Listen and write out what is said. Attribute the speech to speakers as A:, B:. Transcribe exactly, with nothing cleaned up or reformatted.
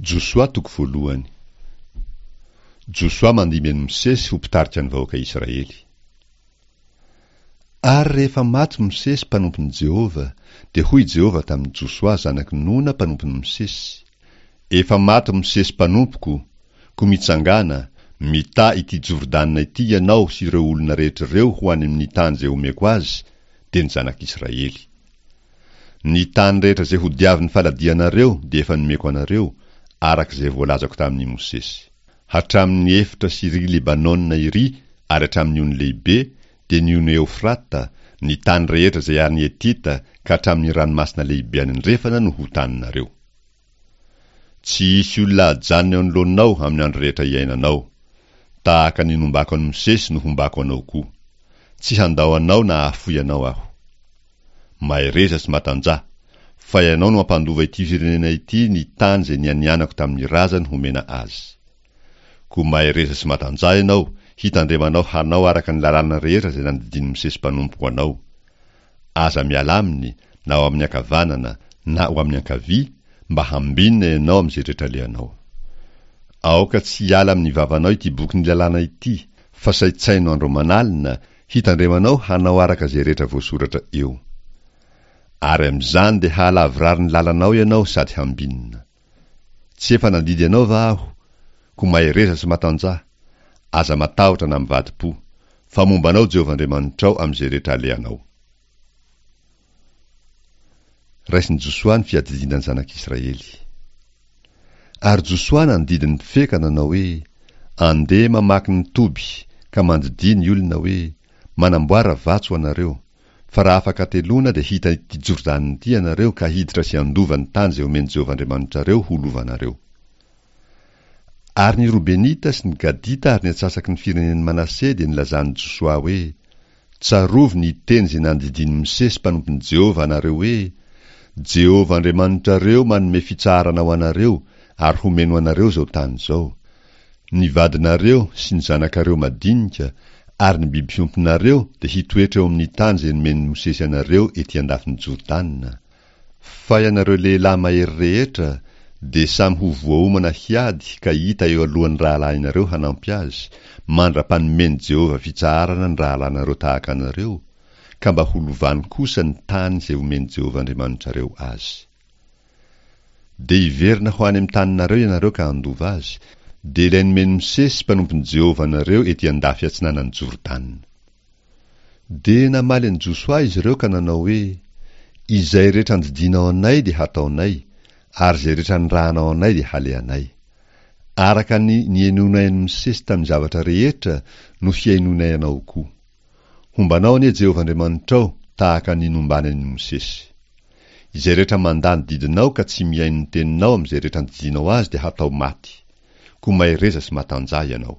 A: Josoa toko voalohany. Josoa mandimby an'i Mosesy ho mpitarika ny vahoaka Israely. Ary rehefa maty Mosesy mpanompon'i Jehovah, dia hoy Jehovah tamin'i Josoa zanak'i Nona mpanompon'i Mosesy, Efa maty Mosesy mpanompoko, koa mitsangàna, mità ity Jordana ity ianao sy ireo olona rehetra ireo ho any amin'ny tany izay omeko azy, dia ny zanak'Israely. Ny tany rehetra izay hodiavin'ny faladianareo dia efa nomeko anareo, araka izay voalazako tamin'i Mosesy. Hatramin'ny efitra Syria Libanona iry ary hatramin'ny ony lehibe, dia ny ony Eofrata, ny tany rehetra izay any Hetita ka hatramin'ny ranomasina lehibe any andrefana no ho taninareo. Tsy hisy olona hajanona eo anoloanao amin'ny andro rehetra iainanao. Tahaka ny nombako an'i Mosesy no hombako anao koa. Tsy handao anao na hahafoy anao aho. Mahereza sy matanjaha, fa ianao no hampandova ity firenena ity ny tany izay nianianako tamin'ny razany homena azy. Koa mahereza sy matanjaha ianao, hitandremanao hanao araka ny lalàna rehetra izay nandidian'i Mosesy mpanompoko anao. Aza miala aminy, na ho amin'ny ankavanana, na ho amin'ny ankavia, mba hambinina ianao amin'izay rehetra alehanao. Aoka tsy hiala amin'ny vavanao ity bokin'ny lalàna ity, fa saintsaino andro aman'alina, hitandremanao hanao araka izay rehetra voasoratra eo. Ary amin'izany dia hahalavorary ny lalanao ianao sady hambinina. Tsy efa nandidy anao va aho? Koa mahereza sy matanjaha. Aza matahotra na mivadi-po, fa momba anao Jehovah Andriamanitrao amin'izay rehetra alehanao. Raisin'i Josoa ny fiadidiana ny zanak'Israely. Ary Josoa nandidy ny mpifehy ka nanao hoe, Andeha mamaky ny toby, ka mandidia ny olona hoe, Manamboara vatsy ho anareo, fa raha afaka hateloana dia hita ity Jordana ity ianareo ka hiditra sy handova ny tany izay omen'i Jehovah Andriamanitrareo ho lovanareo. Ary ny Robenita sy ny Gadita ary ny antsasaky ny firenen'i Manase dia nilazan'i Josoa hoe, Tsarovy ny teny izay nandidian'i Mosesy mpanompon'i Jehovah anareo hoe, Jehovah Andriamanitrareo manome fitsaharana ho anareo ary homeny ho anareo izao tany izao. Ny vadinareo sy ny zanakareo madinika ary ny biby fiompinareo dia hitoetra eo amin'ny tany izay nomen'i Mosesy anareo ety andafin'i Jordana. Fa ianareo lehilahy mahery rehetra dia samy ho voaomana hiady ka hita eo alohan'ny rahalahinareo hanampy azy, mandra-panomen'i Jehovah fitsaharana ny rahalahinareo tahaka anareo, ka mba ho lovany kosa ny tany izay omen'i Jehovah Andriamanitrareo azy. Dia hiverina ho any amin'ny taninareo ianareo ka handova azy, dia ilay nomen'i Mosesy mpanompon'i Jehovah anareo ety andafy atsinanan'i Jordana. Dia namaly an'i Josoa izy ireo ka nanao hoe, Izay rehetra andidianao anay dia hataonay, ary izay rehetra anirahanao anay dia halehanay. Araka ny nihainoanay an'i Mosesy tamin'ny zavatra rehetra no hihainoanay anao koa. Homba anao anie Jehovah Andriamanitrao tahaka ny nombany an'i Mosesy. Izay rehetra mandà ny didinao ka tsy mihaino ny teninao amin'izay rehetra andidianao azy dia hatao maty. Koa mahereza sy matanjaha ianao.